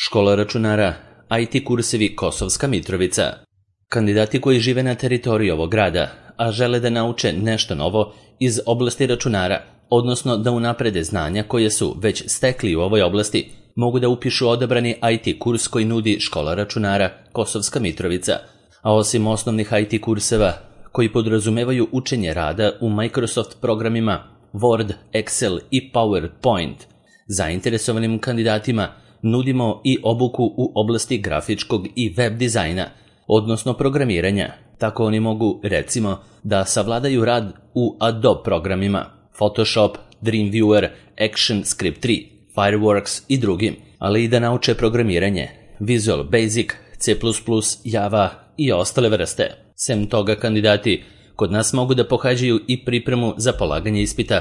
Škola računara, IT kursevi Kosovska Mitrovica. Kandidati koji žive na teritoriji ovog grada, a žele da nauče nešto novo iz oblasti računara, odnosno da unaprede znanja koje su već stekli u ovoj oblasti, mogu da upišu odabrani IT kurs koji nudi Škola računara Kosovska Mitrovica. A osim osnovnih IT kurseva, koji podrazumevaju učenje rada u Microsoft programima Word, Excel i PowerPoint, zainteresovanim kandidatima nudimo i obuku u oblasti grafičkog i web dizajna, odnosno programiranja. Tako oni mogu, recimo, da savladaju rad u Adobe programima Photoshop, Dreamweaver, ActionScript 3, Fireworks i drugim, ali i da nauče programiranje Visual Basic, C++, Java i ostale vrste. Sem toga, kandidati kod nas mogu da pohađaju i pripremu za polaganje ispita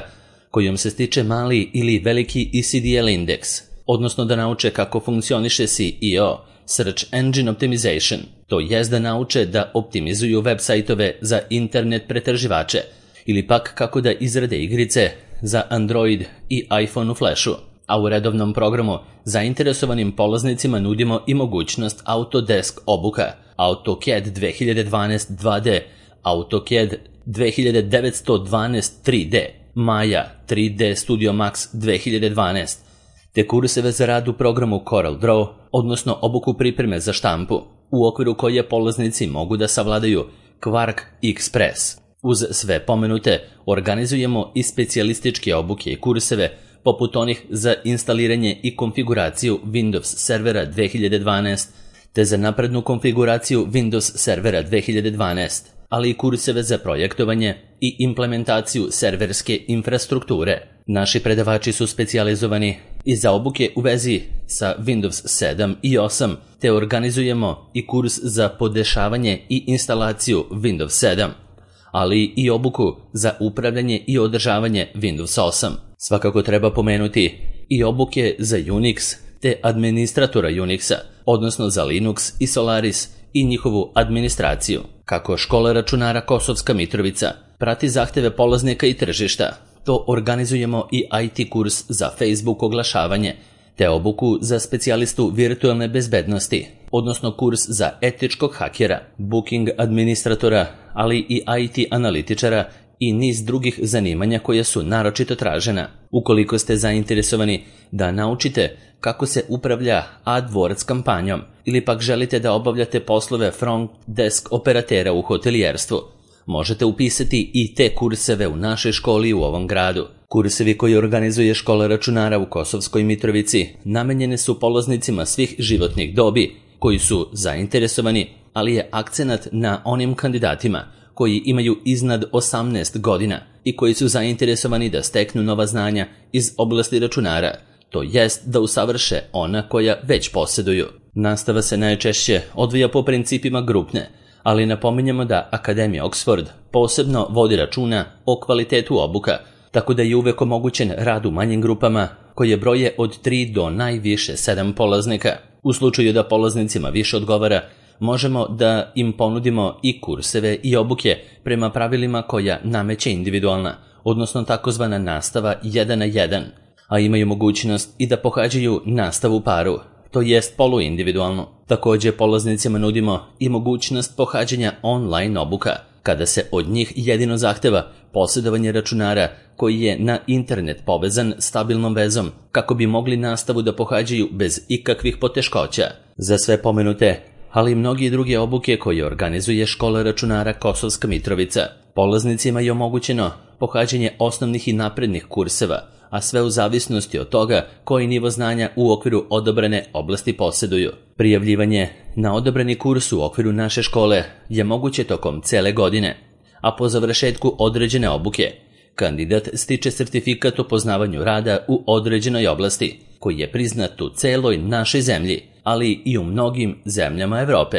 kojom se stiče mali ili veliki ECDL indeks, odnosno da nauče kako funkcioniše SEO, Search Engine Optimization, to jest da nauče da optimizuju web sajtove za internet pretraživače ili pak kako da izrade igrice za Android i iPhone u Flashu. A u redovnom programu zainteresovanim polaznicima nudimo i mogućnost Autodesk obuka, AutoCAD 2012 2D, AutoCAD 2912 3D, Maya 3D Studio Max 2012, te kurseve za rad u programu CorelDRAW, odnosno obuku pripreme za štampu, u okviru koje polaznici mogu da savladaju Quark Express. Uz sve pomenute organizujemo i specijalističke obuke i kurseve, poput onih za instaliranje i konfiguraciju Windows servera 2012, te za naprednu konfiguraciju Windows servera 2012, ali i kurseve za projektovanje i implementaciju serverske infrastrukture. Naši predavači su specijalizovani i za obuke u vezi sa Windows 7 i 8, te organizujemo i kurs za podešavanje i instalaciju Windows 7, ali i obuku za upravljanje i održavanje Windows 8. Svakako treba pomenuti i obuke za Unix te administratora Unixa, odnosno za Linux i Solaris i njihovu administraciju. Kako Škola računara Kosovska Mitrovica prati zahteve polaznika i tržišta, to organizujemo i IT kurs za Facebook oglašavanje, te obuku za specijalistu virtualne bezbednosti, odnosno kurs za etičkog hakera, booking administratora, ali i IT analitičara i niz drugih zanimanja koje su naročito tražena. Ukoliko ste zainteresovani da naučite kako se upravlja AdWords kampanjom ili pak želite da obavljate poslove front desk operatera u hotelijerstvu, možete upisati i te kurseve u našoj školi u ovom gradu. Kursevi koji organizuje Škola računara u Kosovskoj Mitrovici namenjene su polaznicima svih životnih dobi koji su zainteresovani, ali je akcenat na onim kandidatima koji imaju iznad 18 godina i koji su zainteresovani da steknu nova znanja iz oblasti računara, to jest da usavrše ona koja već posjeduju. Nastava se najčešće odvija po principima grupne, ali napominjemo da Akademija Oxford posebno vodi računa o kvalitetu obuka, tako da je uvek omogućen rad u manjim grupama koje broje od 3 do najviše 7 polaznika. U slučaju da polaznicima više odgovara, možemo da im ponudimo i kurseve i obuke prema pravilima koja nameće individualna, odnosno takozvana nastava 1 na 1, a imaju mogućnost i da pohađaju nastavu paru, to jest poluindividualno. Također polaznicima nudimo i mogućnost pohađanja online obuka, kada se od njih jedino zahteva posjedovanje računara koji je na internet povezan stabilnom vezom, kako bi mogli nastavu da pohađaju bez ikakvih poteškoća. Za sve pomenute, ali i mnogi druge obuke koje organizuje Škola računara Kosovska Mitrovica, polaznicima je omogućeno pohađanje osnovnih i naprednih kurseva, a sve u zavisnosti od toga koji nivo znanja u okviru odabrane oblasti posjeduju. Prijavljivanje na odabrani kurs u okviru naše škole je moguće tokom cele godine, a po završetku određene obuke, kandidat stiče sertifikat o poznavanju rada u određenoj oblasti, koji je priznat u celoj našoj zemlji, ali i u mnogim zemljama Evrope.